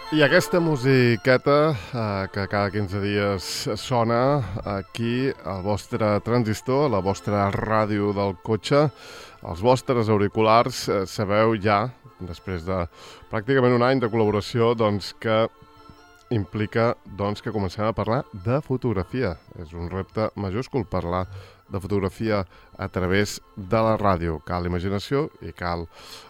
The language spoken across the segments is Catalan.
I aquesta musiqueta que cada 15 dies sona aquí al vostre transistor, a la vostra ràdio del cotxe, als vostres auriculars, sabeu ja, després de pràcticament un any de col·laboració, doncs que implica que comencem a parlar de fotografia. És un repte majúscul parlar de fotografia a través de la ràdio. Cal imaginació i cal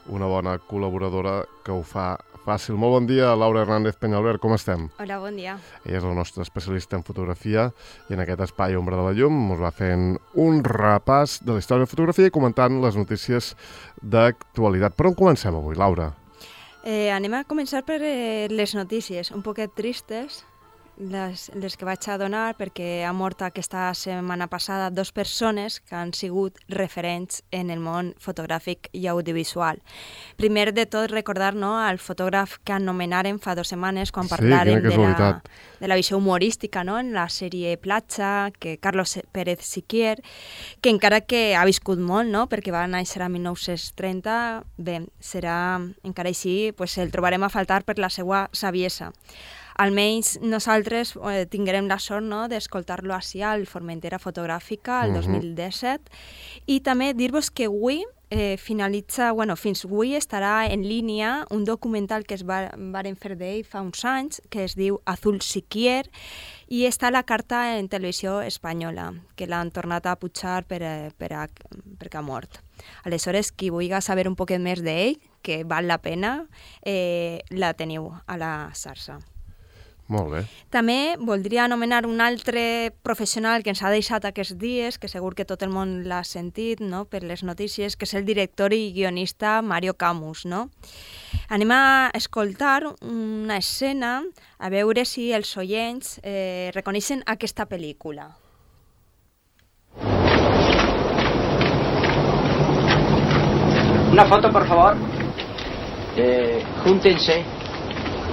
una bona col·laboradora que ho fa fàcil. Molt bon dia, Laura Hernández Peñalver, com estem? Hola, bon dia. Ella és la nostra especialista en fotografia i en aquest espai Ombra de la Llum us va fent un repàs de la història de fotografia i comentant les notícies d'actualitat. Per on comencem avui, Laura? Anem a començar per les notícies, un poquet tristes, les que vaig a donar, perquè ha mort aquesta setmana passada 2 persones que han sigut referents en el món fotogràfic i audiovisual. Primer de tot, recordar el fotògraf que anomenaren fa 2 setmanes quan parlàrem de la visió humorística en la sèrie Platja, que Carlos Pérez Siquier, que encara que ha viscut molt, perquè va néixer a 1930, bé, serà encara així, el trobarem a faltar per la seva saviesa. Almenys nosaltres tinguem la sort d'escoltar-lo així al Formentera Fotogràfica el 2017 i també dir-vos que avui finalitza, fins avui estarà en línia un documental que es varen fer d'ell fa uns anys que es diu Azul Siquier i està a la carta en televisió espanyola, que l'han tornat a pujar perquè ha mort. Aleshores, qui vulgui saber un poquet més d'ell, que val la pena, la teniu a la xarxa. Molt bé. També voldria anomenar un altre professional que ens ha deixat aquests dies, que segur que tot el món l'ha sentit per les notícies, que és el director i guionista Mario Camus. Anem a escoltar una escena, a veure si els oients reconeixen aquesta pel·lícula. Una foto, por favor. Júntense.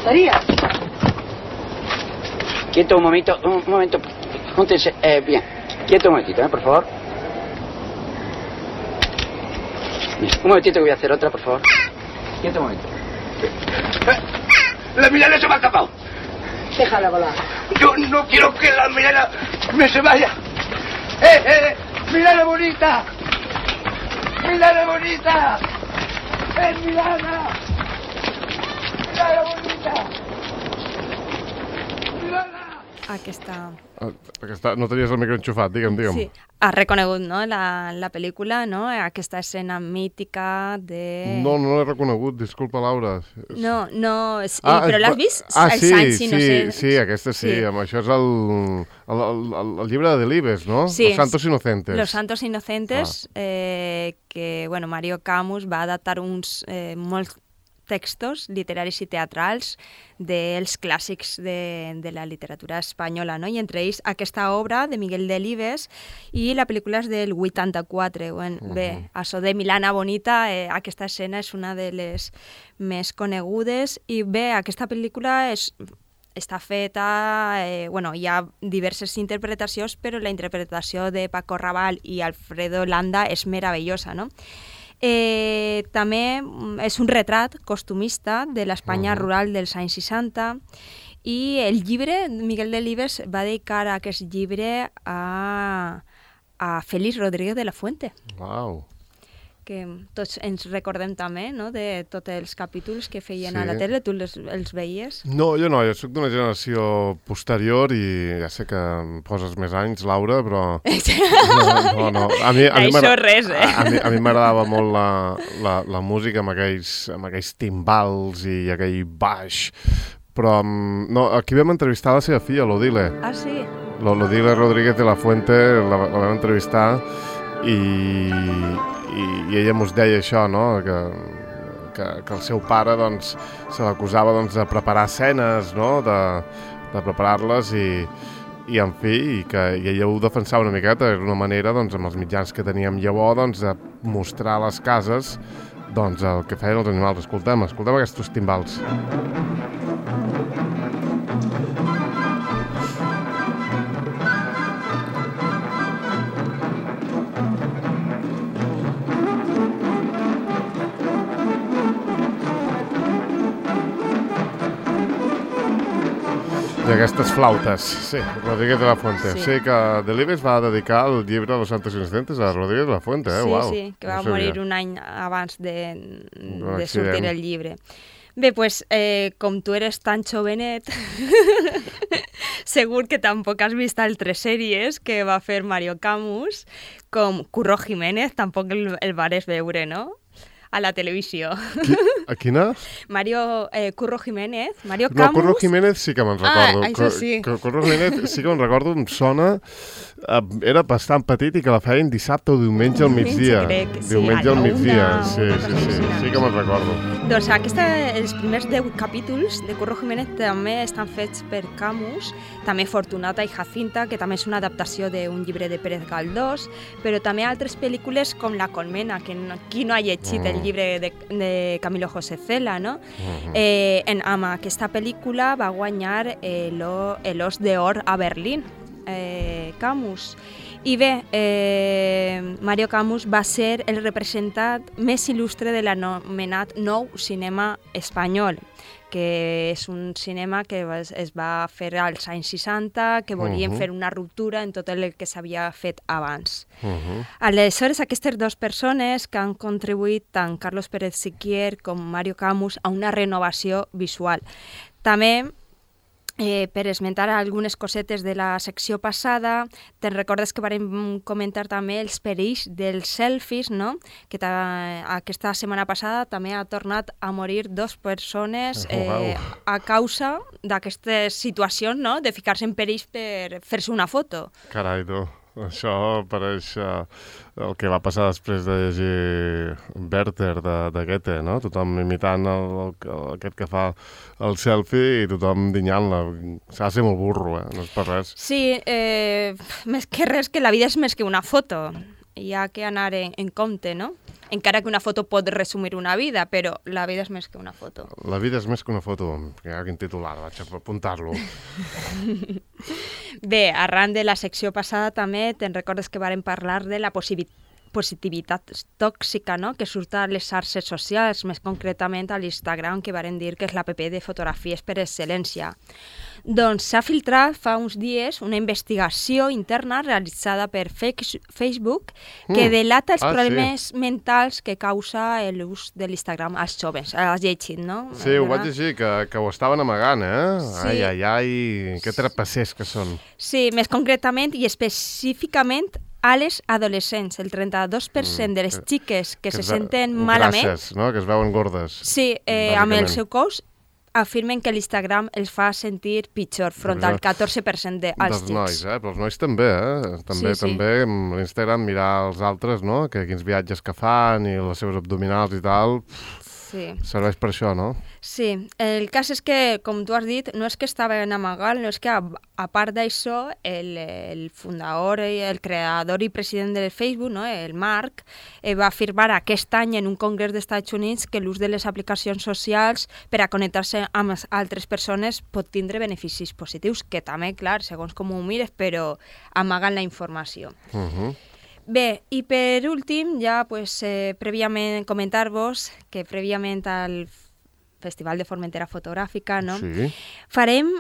María. Quieto un momento, júntense, bien, quieto un momentito, por favor. Bien, un momentito que voy a hacer otra, por favor. Quieto un momento. La Milena se me ha escapado. Déjala volar. Yo no quiero que la Milena me se vaya. Milena bonita. Milena bonita. Milena. Milena bonita. Aquesta... No tenies el micro enxufat, digue'm. Sí, has reconegut, la pel·lícula, aquesta escena mítica de... No l'he reconegut, disculpa, Laura. No, però l'has vist? Sí, aquesta sí. Això és el llibre de Delibes, no? Sí, Los Santos Inocentes. Los Santos Inocentes, que Mario Camus va adaptar uns molts textos literaris i teatrals dels clàssics de la literatura espanyola, i entre ells aquesta obra de Miguel Delibes i la pel·lícula és del 84. Bé, això de Milana Bonita, aquesta escena és una de les més conegudes i bé, aquesta pel·lícula està feta, hi ha diverses interpretacions, però la interpretació de Paco Rabanne i Alfredo Landa és meravellosa, també és un retrat costumista de l'Espanya rural dels anys 60 i el llibre, Miguel Delibes va dedicar aquest llibre a Félix Rodríguez de la Fuente. Uau! Que tots ens recordem també, de tots els capítols que feien a la tele. Tu els veies? No, jo soc d'una generació posterior i ja sé que em poses més anys, Laura, però... No. Això res, A mi m'agradava molt la música amb aquells timbals i aquell baix, però no, aquí vam entrevistar la seva filla, l'Odile. Ah, sí? L'Odile Rodríguez de la Fuente, la vam entrevistar i ella mos deia això, que el seu pare se l'acusava de preparar escenes, de preparar-les i en fi, i ella ho defensava una miqueta, era una manera, amb els mitjans que teníem llavors, de mostrar a les cases el que feien els animals. Escoltem aquests timbals. I aquestes flautes, sí, Rodríguez de la Fuente. Sí. Sí, que Delibes va dedicar el llibre de los Santos Inocentes a Rodríguez de la Fuente, Sí, Uau. sí, que va No sabia. morir un any abans de accident. sortir el llibre. Bé, pues, com tu eres tan jovenet, segur que tampoc has vist altres sèries que va fer Mario Camus, com Curro Jiménez, tampoc el vares veure, no?, a la televisió. A quina? Mario Curro Jiménez, Mario No, Camus... Curro Jiménez sí que me'n recordo. això sí. Curro Jiménez sí que me'n recordo, em sona... Era bastant petit i que la feien dissabte o diumenge al migdia. Crec, sí, Diumenge a al la migdia, una, sí, una sí, cosa sí, així. sí que me'n recordo. Doncs els primers 10 capítols de Curro Jiménez també estan fets per Camus, també Fortunata i Jacinta, que també és una adaptació d'un llibre de Pérez Galdós, però també altres pel·lícules com La Colmena, que qui no ha llegit el llibre de Camilo José Cela, no? Amb aquesta pel·lícula va guanyar l'Os d'Or a Berlín, Camus. I bé, Mario Camus va ser el representant més il·lustre de l'anomenat nou cinema espanyol, que és un cinema que es va fer als anys 60, que volien fer una ruptura en tot el que s'havia fet abans. Aleshores, aquestes dues persones que han contribuït, tant Carlos Pérez Siquier com Mario Camus, a una renovació visual. També, per esmentar algunes cosetes de la secció passada, te'n recordes que vam comentar també els perills dels selfies, no? Que aquesta setmana passada també ha tornat a morir 2 persones a causa d'aquestes situacions, no? De ficar-se en perills per fer-se una foto. Carai, tu. Això pareix el que va passar després de llegir Werther de Goethe, no? Tothom imitant aquest que fa el selfie i tothom dinyant-la. S'ha de ser molt burro, no és per res. Sí, més que res, que la vida és més que una foto. Hi ha que anar en compte, no? Encara que una foto pot resumir una vida, però la vida és més que una foto. La vida és més que una foto. Quin titular, vaig a apuntar-lo. Bé, arran de la secció passada també te'n recordes que vàrem parlar de la positivitat tòxica, no?, que surt a les xarxes socials, més concretament a l'Instagram, que varen dir que és l'app de fotografies per excel·lència. Doncs s'ha filtrat fa uns dies una investigació interna realitzada per Facebook que delata els problemes mentals que causa l'ús de l'Instagram als joves. Has llegit, no? Sí, ho vaig llegir, que ho estaven amagant, Sí. Ai, que trapassers que són. Sí, més concretament i específicament a les adolescents. El 32% de les xiques que se senten malament... Grasses, no?, que es veuen gordes. Sí, amb el seu cos afirmen que l'Instagram els fa sentir pitjor, front al 14% dels xics. Dels nois, però els nois també, També amb l'Instagram mirar els altres, no?, que quins viatges que fan i les seves abdominals i tal... Sí. Serveix per això, no? Sí. El cas és que, com tu has dit, no és que estaven amagant, no és que, a part d'això, el fundador, el creador i president de Facebook, no?, el Mark, va afirmar aquest any en un congrés dels Estats Units que l'ús de les aplicacions socials per a connectar-se amb altres persones pot tindre beneficis positius, que també, clar, segons com ho mires, però amagant la informació. Bé, i per últim, ja prèviament comentar-vos que prèviament al Festival de Formentera Fotogràfica, no? Sí. Farem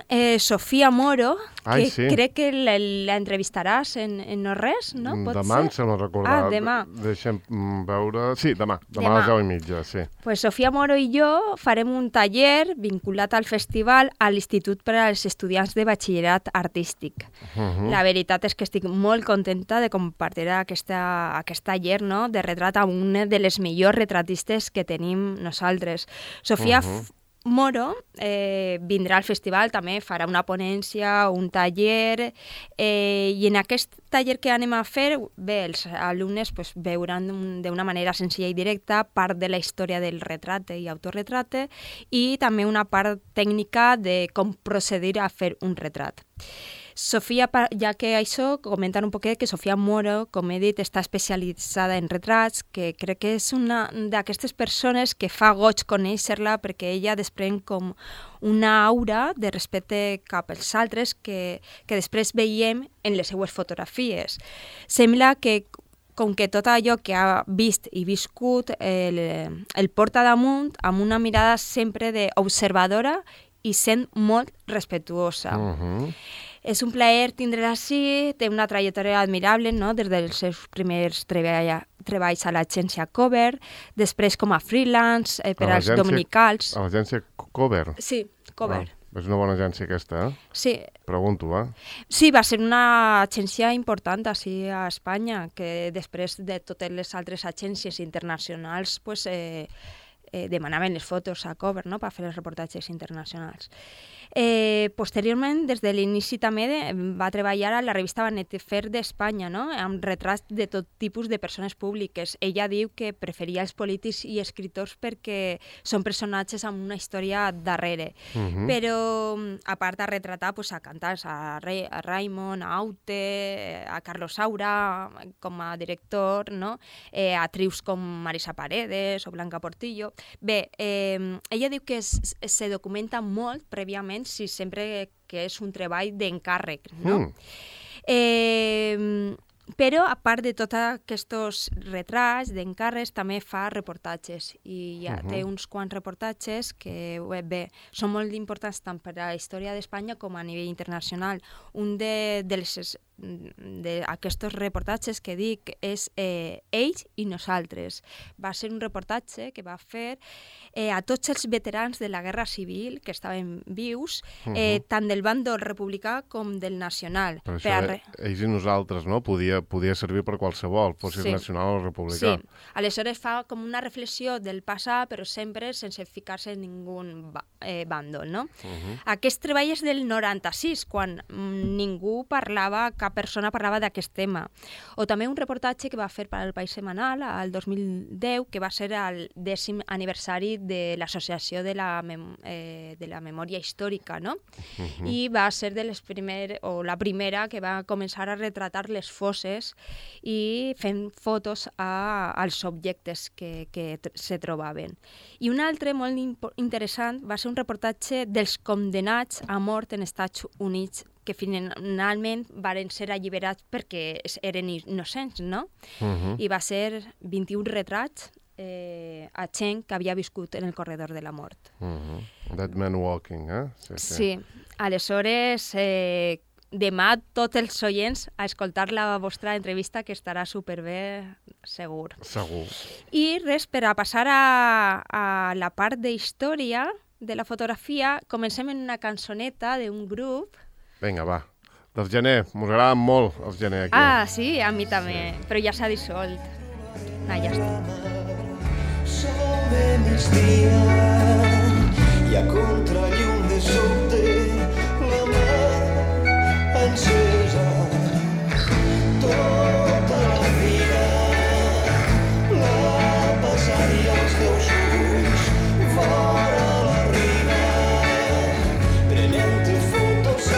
Sofia Moro, que sí. Crec que la entrevistaràs en no res, no? Pot Demà ser? em sembla recordar. Demà. Deixem veure... Sí, demà a les 10:30, sí. Pues Sofia Moro i jo farem un taller vinculat al festival a l'Institut per als Estudiants de Batxillerat Artístic. La veritat és que estic molt contenta de compartir aquest taller, no?, de retrat amb una de les millors retratistes que tenim nosaltres. Sofia Moro vindrà al festival, també farà una ponència, un taller, i en aquest taller que anem a fer, bé, els alumnes veuran d'una manera senzilla i directa part de la història del retrate i autorretrate i també una part tècnica de com procedir a fer un retrat. Sofia, ja que això, comentar un poquet que Sofia Moro, com he dit, està especialitzada en retrats, que crec que és una d'aquestes persones que fa goig conèixer-la perquè ella desprèn com una aura de respecte cap als altres que després veiem en les seues fotografies. Sembla que com que tot allò que ha vist i viscut el porta damunt amb una mirada sempre d'observadora i sent molt respectuosa. És un plaer tindre-la així, té una trajectòria admirable, no? Des dels seus primers treballs a l'agència Cover, després com a freelance per als dominicals. A l'agència Cover? Sí, Cover. És una bona agència aquesta, Sí. Pregunto, Sí, va ser una agència important així a Espanya, que després de totes les altres agències internacionals pues, demanaven les fotos a Cover, no?, per fer els reportatges internacionals. Posteriorment, des de l'inici també va treballar a la revista Vanity Fair d'Espanya, no?, amb retrats de tot tipus de persones públiques. Ella diu que preferia els polítics i escriptors perquè són personatges amb una història darrere. Però, a part de retratar pues, a cantants, a Raimon, a Aute, a Carlos Saura com a director, no?, a trius com Marisa Paredes o Blanca Portillo. Bé, ella diu que se documenta molt prèviament si sempre que és un treball d'encàrrec, no? Però, a part de tots aquests retrats d'encàrrecs, també fa reportatges. I ja té uns quants reportatges que, bé, són molt importants tant per a la història d'Espanya com a nivell internacional. Un d'aquests reportatges que dic és Ells i nosaltres. Va ser un reportatge que va fer a tots els veterans de la Guerra Civil que estaven vius, tant del bàndol republicà com del nacional. Per això, Ells i nosaltres, no? Podia servir per qualsevol, fossis nacional o republicà. Sí, aleshores fa com una reflexió del passat, però sempre sense ficar-se en ningú bàndol, no? Aquest treball és del 96, quan ningú parlava, cap persona parlava d'aquest tema. O també un reportatge que va fer per al País Setmanal el 2010, que va ser el 10è aniversari de l'Associació de la Memòria Històrica, no? I va ser de les la primera que va començar a retratar les fosses i fent fotos als objectes que se trobaven. I un altre molt interessant va ser un reportatge dels condemnats a mort en Estats Units que finalment varen ser alliberats perquè eren innocents, no? I va ser 21 retrats a gent que havia viscut en el corredor de la mort. Dead Man Walking, Sí. Aleshores, demà tots els oients a escoltar la vostra entrevista, que estarà superbé, segur. Segur. I res, per a passar a la part de història de la fotografia, comencem en una cançoneta d'un grup. Vinga, va. Dels Gener, mos agraden molt els Gener aquí. Sí, a mi també, però ja s'ha dissolt. Ja està. Sol de migdia i a contrallum de sobte la mà encesa tota la vida la passaria als teus ulls fora la riba prenent-te fotos a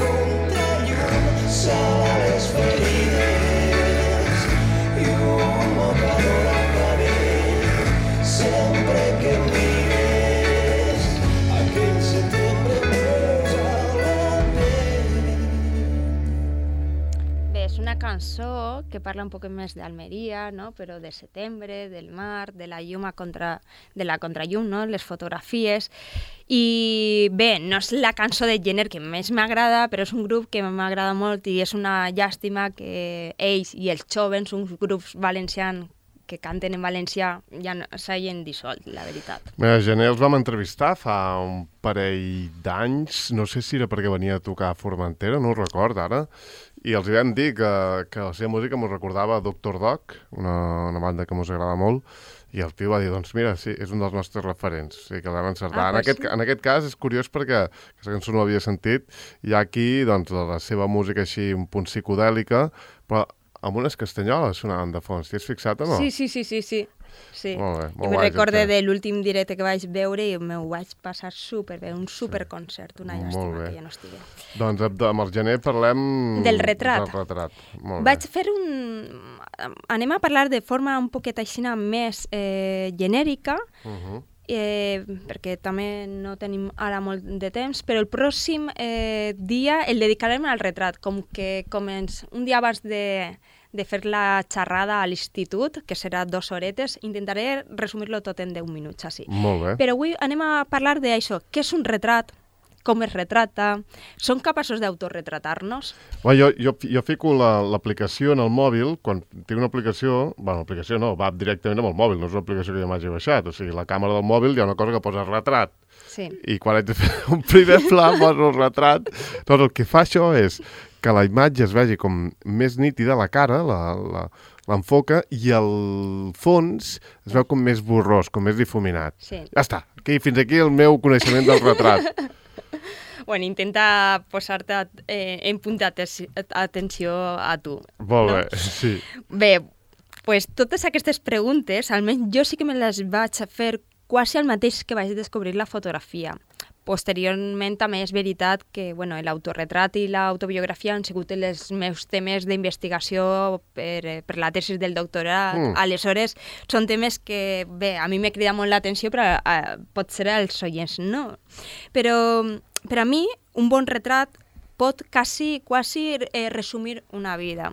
contrallum sala les ferides i un mocador al cabell sempre que mires aquell setembre posa la pell. Bé, és una cançó que parla un poc més d'Almeria, no? Però de setembre, del mar, de la llum de la contrallum, no? Les fotografies. I bé, no és la cançó de Gener que més m'agrada, però és un grup que m'agrada molt i és una llàstima que ells i els jovens, uns grups valencians que canten en valencià, ja s'hagin dissolt, la veritat. Mira, Gener els vam entrevistar fa un parell d'anys, no sé si era perquè venia a tocar a Formentera, no ho record ara, i els vam dir que la seva música mos recordava Dr. Dog, una banda que mos agrada molt, i el tio va dir, doncs mira, sí, és un dels nostres referents, o sigui que l'hem encertat. En aquest cas és curiós perquè aquesta cançó no l'havia sentit, hi ha aquí doncs, la seva música així un punt psicodèlica, però amb unes castanyoles sonaven de fons. T'hi has fixat o no? Sí. Molt bé, molt guai. I recorde Gener. de l'últim directe que vaig veure i m'ho vaig passar superbé, un superconcert, una llàstima que ja no estigui. Doncs amb el Gener parlem... Del retrat. Molt Vaig bé. fer anem a parlar de forma un poquet així més genèrica, perquè també no tenim ara molt de temps, però el pròxim dia el dedicarem al retrat, com que un dia abans de fer la xerrada a l'institut, que serà 2 horetes, intentaré resumir-lo tot en 10 minuts, així. Molt bé. Però avui anem a parlar d'això, què és un retrat, com es retrata, són capaços d'autoretratar-nos? Jo fico l'aplicació en el mòbil, quan tinc una aplicació, l'aplicació no, va directament amb el mòbil, no és una aplicació que jo m'hagi baixat, o sigui, la càmera del mòbil hi ha una cosa que posa retrat, Sí. i quan haig de fer un primer pla poso el retrat, doncs el que fa això és que la imatge es vegi com més nítida, la cara, l'enfoca, i el fons es veu com més borrós, com més difuminat. Sí. Ja està, fins aquí el meu coneixement del retrat. Bueno, intenta posar-te en punt d'atenció a tu. Molt no? bé, sí. Bé, pues totes aquestes preguntes, almenys jo sí que me les vaig a fer quasi el mateix que vaig descobrir la fotografia. Posteriorment també és veritat que l'autorretrat i l'autobiografia han sigut els meus temes d'investigació per la tesi del doctorat. Aleshores, són temes que, bé, a mi m'he cridat molt l'atenció, però potser als oients no. Però per a mi, un bon retrat pot quasi resumir una vida.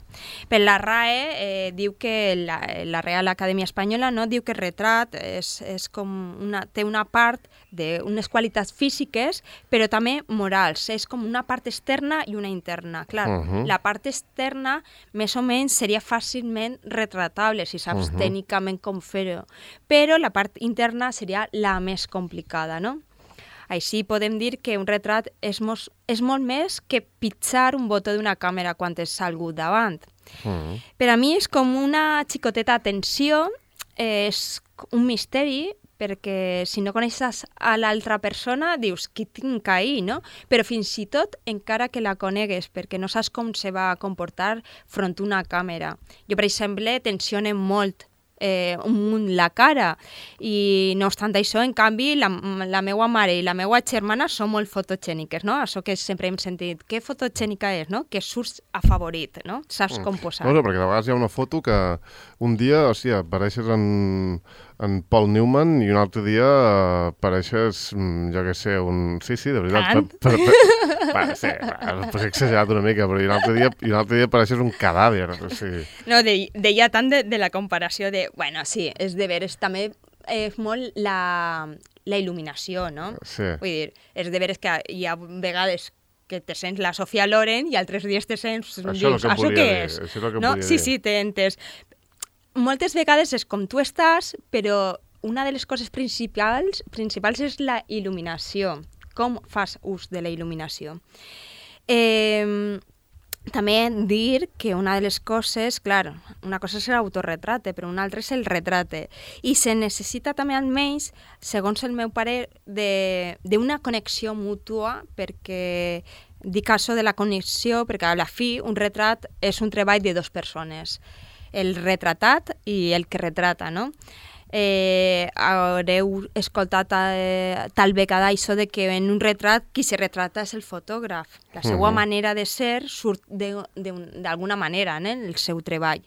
Per la RAE diu que la Real Acadèmia Espanyola diu que el retrat és com té una part d'unes qualitats físiques, però també morals. És com una part externa i una interna. Clar, la part externa més o menys seria fàcilment retratable si saps tècnicament com fer-ho, però la part interna seria la més complicada, no? Així podem dir que un retrat és molt més que pitjar un botó d'una càmera quan tens algú davant. Per a mi és com una xicoteta atenció, és un misteri, perquè si no coneixes a l'altra persona dius, qui tinc ahí, no? Però fins i tot encara que la conegues, perquè no saps com se va comportar front a una càmera. Jo, per exemple, tensione molt la cara, i no obstant això, en canvi, la meva mare i la meva germana són molt fotogèniques, no? Això que sempre hem sentit, que fotogènica és, no? Que surts afavorit, no? Saps com posar. No, perquè de vegades hi ha una foto que un dia, apareixes en Paul Newman i un altre dia apareixes, jo què sé, Sí, de veritat. Sí, potser he exagerat una mica, però i un altre dia apareixes un cadàver. No, deia tant de la comparació de... Bueno, sí, és de veres, també és molt la il·luminació, no? Sí. Vull dir, és de veres que hi ha vegades que te sents la Sofia Loren i altres dies te sents... Això és el que volia dir. Això és el que volia dir. Sí, t'he entès. Moltes vegades és com tu estàs, però una de les coses principals és la il·luminació. Com fas ús de la il·luminació? També dir que una de les coses, clar, una cosa és l'autorretrate, però una altra és el retrate. I se necessita també almenys, segons el meu parer, d'una connexió mútua, perquè dic això de la connexió, perquè a la fi un retrat és un treball de dues persones, el retratat i el que retrata, no? Haureu escoltat tal vegada això de que en un retrat qui se retrata és el fotògraf. La seva manera de ser surt d'alguna manera en el seu treball.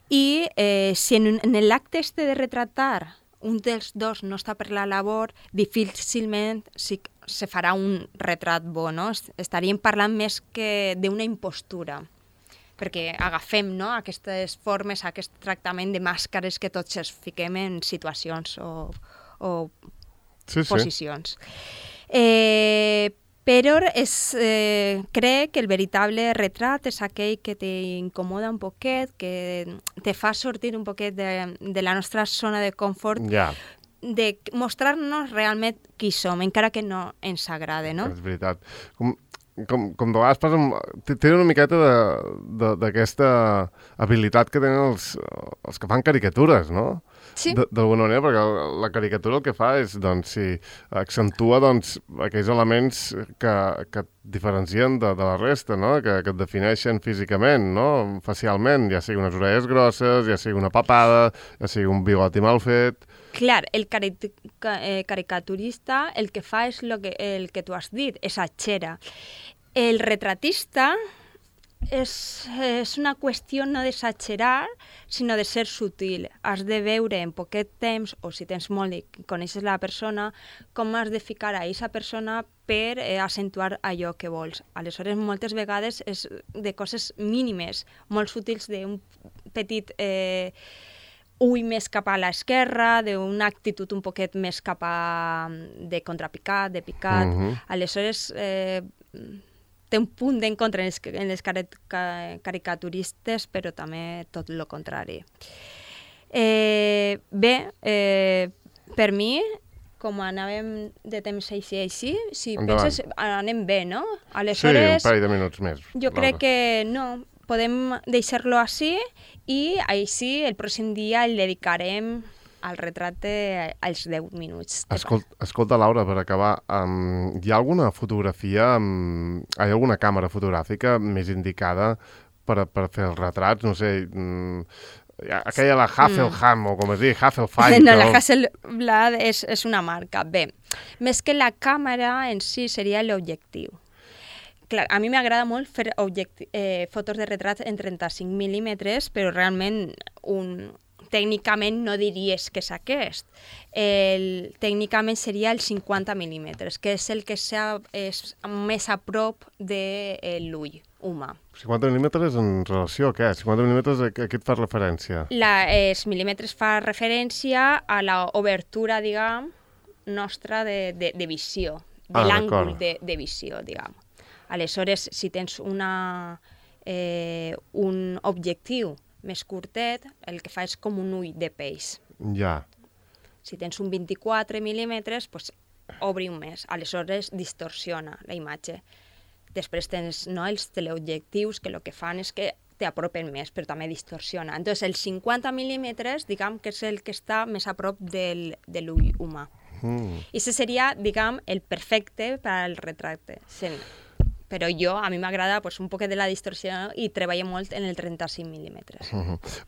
I si en l'acte de retratar un dels dos no està per la labor, difícilment se farà un retrat bo, no? Estaríem parlant més que d'una impostura, perquè agafem, no, aquestes formes, aquest tractament de màscares que tots ens fiquem en situacions o posicions. Però crec que el veritable retrat és aquell que t'incomoda un poquet, que te fa sortir un poquet de la nostra zona de confort, de mostrar-nos realment qui som, encara que no ens agrada, no? És veritat. Com de vegades passa, tenen una miqueta d'aquesta habilitat que tenen els que fan caricatures, no? Sí. D'alguna manera, perquè la caricatura el que fa és, doncs, accentua aquells elements que et diferencien de la resta, no? Que et defineixen físicament, no? Facialment, ja sigui unes orelles grosses, ja sigui una papada, ja sigui un bigoti mal fet... Clar, el caricaturista el que fa és el que tu has dit, exagera. El retratista és una qüestió no d'exagerar, sinó de ser sutil. Has de veure en poquet temps, o si tens molt i coneixes la persona, com has de ficar a aquesta persona per accentuar allò que vols. Aleshores, moltes vegades és de coses mínimes, molt sutils, d'un petit ull més cap a l'esquerra, d'una actitud un poquet més cap a de contrapicat, de picat. Aleshores, té un punt d'encontre en les caricaturistes, però també tot el contrari. Bé, per mi, com anàvem de temps així, si Endavant. penses, anem bé, no? Sí, Aleshores, un parell de minuts més. jo crec que no, podem deixar-lo així i així el pròxim dia el dedicarem al retracte als 10 minuts. Escolta, Laura, per acabar, hi ha alguna fotografia, hi ha alguna càmera fotogràfica més indicada per fer els retrats? No sé, aquella la Hasselblad, o com es diu, Hasselblad. No, la Hasselblad és una marca. Bé, més que la càmera en si seria l'objectiu. Clar, a mi m'agrada molt fer fotos de retrats en 35 mil·límetres, però realment tècnicament no diries que és aquest. Tècnicament seria el 50 mil·límetres, que és el que és més a prop de l'ull humà. 50 mil·límetres en relació a què? 50 mil·límetres a què et fa referència? Els mil·límetres fa referència a l'obertura, diguem, nostra de visió, de l'àngul de visió, diguem. Aleshores, si tens un objectiu més curtet, el que fa és com un ull de peix. Ja. Si tens un 24 mil·límetres, doncs obri un més. Aleshores, distorsiona la imatge. Després tens els teleobjectius, que el que fan és que t'apropen més, però també distorsiona. Entonces, els 50 mil·límetres, diguem que és el que està més a prop de l'ull humà. I això seria, diguem, el perfecte per al retracte. Però a mi m'agrada un poc de la distorsió i treballo molt en el 35 mil·límetres.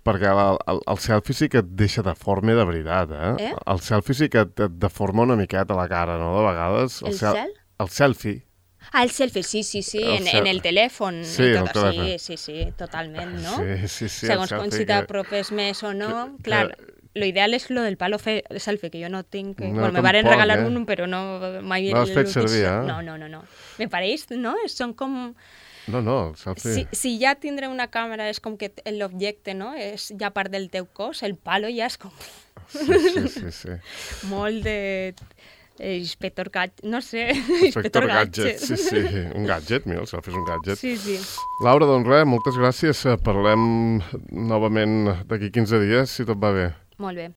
Perquè el selfie sí que et deixa deforme de veritat, eh? El selfie sí que et deforma una miqueta la cara, no?, de vegades. El cel? El selfie. El selfie, sí, en el telèfon. Sí, en el telèfon. Sí, totalment, no? Sí, segons com si t'apropes més o no. Clar, lo ideal és lo del palo selfie, que jo no tinc... me van regalar un, però no mai... No l'has fet servir, eh? No. Me pareix, no? Són com... No, el selfie... Si ja tindré una càmera és com que l'objecte, no? És ja part del teu cos, el palo ja és com... Sí. Molt de... Inspector Gadget, no sé... Inspector Gadget, sí. Un gadget, mira, el selfie és un gadget. Sí. Laura, doncs res, moltes gràcies. Parlem novament d'aquí 15 dies, si tot va bé. Molt bé.